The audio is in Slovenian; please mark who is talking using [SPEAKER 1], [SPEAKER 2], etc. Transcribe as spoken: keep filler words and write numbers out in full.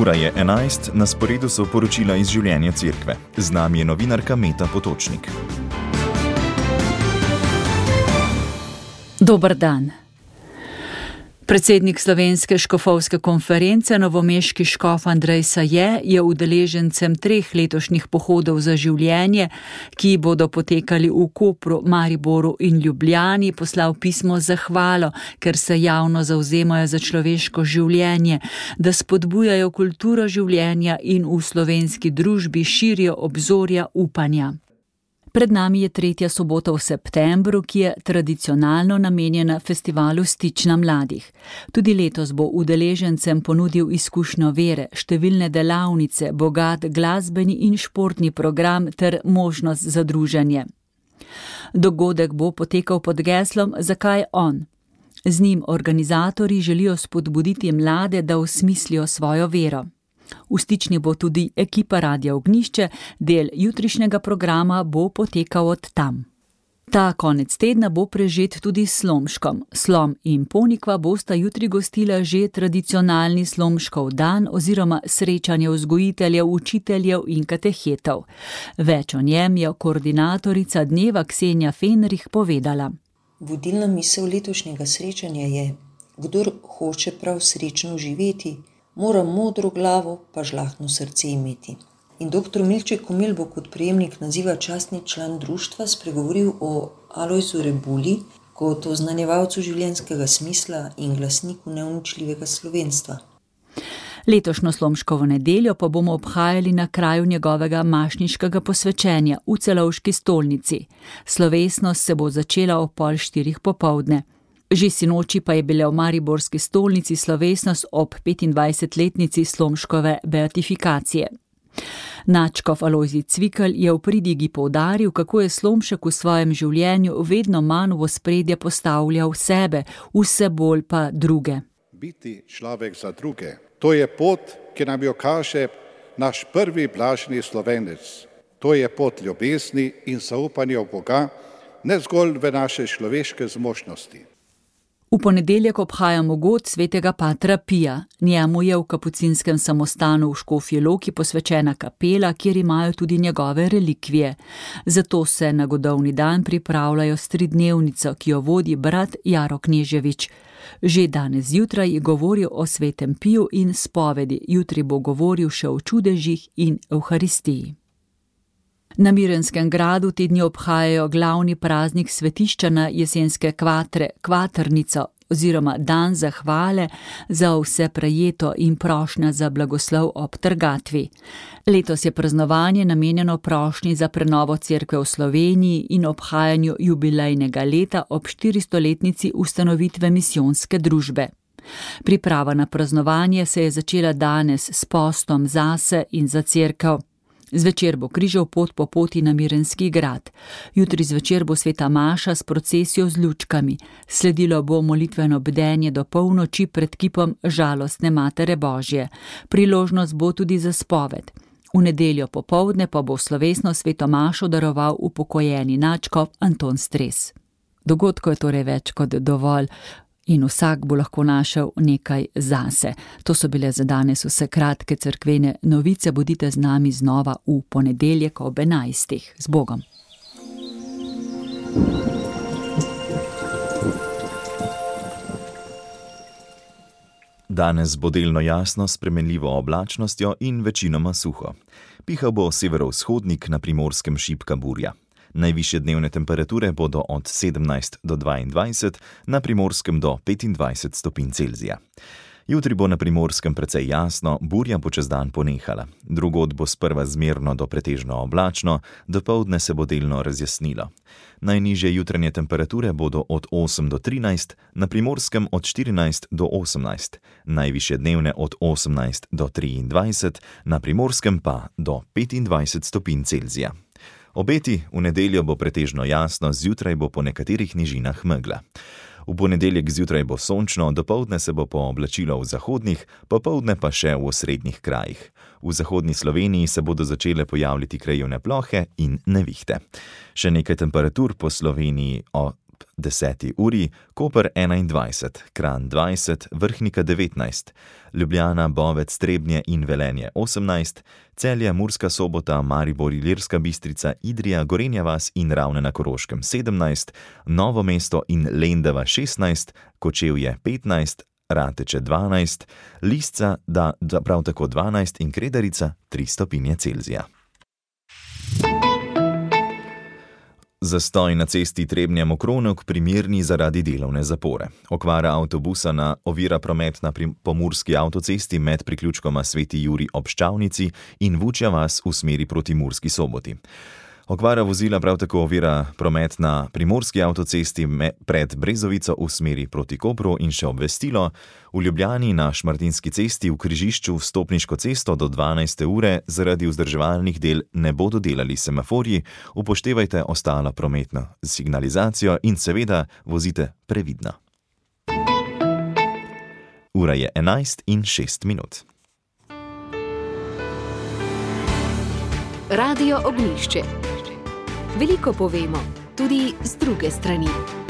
[SPEAKER 1] Ura je enajst, na sporedu so poročila iz življenja cerkve. Z nami je novinarka Meta Potočnik.
[SPEAKER 2] Dober dan. Predsednik Slovenske škofovske konference, novomeški škof Andrej Saje, je udeležencem treh letošnjih pohodov za življenje, ki bodo potekali v Kopru, Mariboru in Ljubljani, poslal pismo z zahvalo, ker se javno zavzemajo za človeško življenje, da spodbujajo kulturo življenja in v slovenski družbi širijo obzorja upanja. Pred nami je tretja sobota v septembru, ki je tradicionalno namenjena festivalu Stična mladih. Tudi letos bo udeležencem ponudil izkušnjo vere, številne delavnice, bogat glasbeni in športni program ter možnost za druženje. Dogodek bo potekal pod geslom Zakaj on? Z njim organizatorji želijo spodbuditi mlade, da osmislijo svojo vero. V Stični bo tudi ekipa Radia Ognjišče, del jutrišnjega programa bo potekal od tam. Ta konec tedna bo prežet tudi s Slomškom. Slom in Ponikva bosta jutri gostila že tradicionalni Slomškov dan oziroma srečanje vzgojiteljev, učiteljev in katehetov. Več o njem je koordinatorica dneva Ksenja Fenrih povedala.
[SPEAKER 3] Vodilna misel letošnjega srečanja je: kdor hoče prav srečno živeti, mora modro glavo pa žlahtno srce imeti. In doktor Milček Komel bo kot prejemnik naziva častni član društva spregovoril o Alojzu Rebuli kot oznanjevalcu življenjskega smisla in glasniku neuničljivega slovenstva.
[SPEAKER 2] Letošnjo Slomškovo nedeljo pa bomo obhajali na kraju njegovega mašniškega posvečenja v Celovški stolnici. Slovesnost se bo začela ob pol štirih popoldne. Že sinoči pa je bila v mariborski stolnici slovesnost ob petindvajsetletnici Slomškove beatifikacije. Nadškof Alojzij Cvikl je v pridigi poudaril, kako je Slomšek v svojem življenju vedno manj v ospredje postavljal sebe, vse bolj pa druge.
[SPEAKER 4] Biti človek za druge, to je pot, ki nam jo kaže naš prvi blaženi Slovenec. To je pot ljubezni in zaupanja v Boga, ne zgolj v naše človeške zmožnosti.
[SPEAKER 2] V ponedeljek obhajamo god svetega patra Pija. Njemu je v kapucinskem samostanu v Škofji Loki posvečena kapela, kjer imajo tudi njegove relikvije. Zato se na godovni dan pripravljajo s tridnevnico, ki jo vodi brat Jaro Kneževič. Že danes zjutraj je govoril o svetem Piju in spovedi, jutri bo govoril še o čudežih in evharistiji. Na Mirenskem gradu te dni obhajajo glavni praznik svetišča na jesenske kvatre, kvatrnico oziroma dan zahvale za vse prejeto in prošnja za blagoslov ob trgatvi. Letos je praznovanje namenjeno prošnji za prenovo cerkve v Sloveniji in obhajanju jubilejnega leta ob štiristoletnici ustanovitve misijonske družbe. Priprava na praznovanje se je začela danes s postom zase in za cerkev. Zvečer bo križev pot po poti na Mirenski grad. Jutri zvečer bo sveta maša s procesijo z lučkami. Sledilo bo molitveno bdenje do polnoči pred kipom Žalostne Matere Božje. Priložnost bo tudi za spoved. V nedeljo popoldne pa bo slovesno sveto mašo daroval upokojeni nadškof Anton Stres. Dogodkov je torej več kot dovolj. In vsak bo lahko našel nekaj zase. To so bile za danes vse kratke cerkvene novice. Bodite z nami znova v ponedeljek ob enajstih. Z Bogom.
[SPEAKER 1] Danes bo delno jasno s spremenljivo oblačnostjo in večinoma suho. Pihal bo severovzhodnik, na Primorskem šibka burja. Najvišje dnevne temperature bodo od sedemnajst do dvaindvajset, na Primorskem do petindvajset stopinj Celzija. Jutri bo na Primorskem precej jasno, burja bo čez dan ponehala. Drugod bo sprva zmerno do pretežno oblačno, dopoldne se bo delno razjasnilo. Najnižje jutranje temperature bodo od osem do trinajst, na Primorskem od štirinajst do osemnajst, najvišje dnevne od osemnajst do triindvajset, na Primorskem pa do petindvajset stopinj Celzija. Obeti: v nedeljo bo pretežno jasno, zjutraj bo po nekaterih nižinah megla. V ponedeljek zjutraj bo sončno, dopoldne se bo pooblačilo v zahodnih, popoldne pa še v osrednjih krajih. V zahodni Sloveniji se bodo začele pojavljati krajevne plohe in nevihte. Še nekaj temperatur po Sloveniji o ob deseti uri, Koper enaindvajset, Kranj dvajset, Vrhnika devetnajst, Ljubljana, Bovec, Trebnje in Velenje osemnajst, Celje, Murska Sobota, Maribor, Ilirska Bistrica, Idrija, Gorenja vas in Ravne na Koroškem sedemnajst, Novo mesto in Lendava šestnajst, Kočevje petnajst, Rateče dvanajst, Lisca da, da prav tako dvanajst in Kredarica tri stopinje Celzija. Zastoj na cesti Trebnje-Mokrovnek primerni zaradi delovne zapore. Okvara avtobusa na ovira promet na pomurski avtocesti med priključkoma Sveti Jurij ob Ščavnici in Vučja vas v smeri proti Murski Soboti. Okvara vozila prav tako ovira promet na primorski avtocesti pred Brezovico v smeri proti Kopru in še obvestilo. V Ljubljani na Šmartinski cesti v križišču vstopniško cesto do dvanajste ure zaradi vzdrževalnih del ne bodo delali semaforji, upoštevajte ostalo prometno signalizacijo in seveda vozite previdno. Ura je enajst in šest minut.
[SPEAKER 5] Radio Ognjišče. Veliko povemo, tudi z druge strani.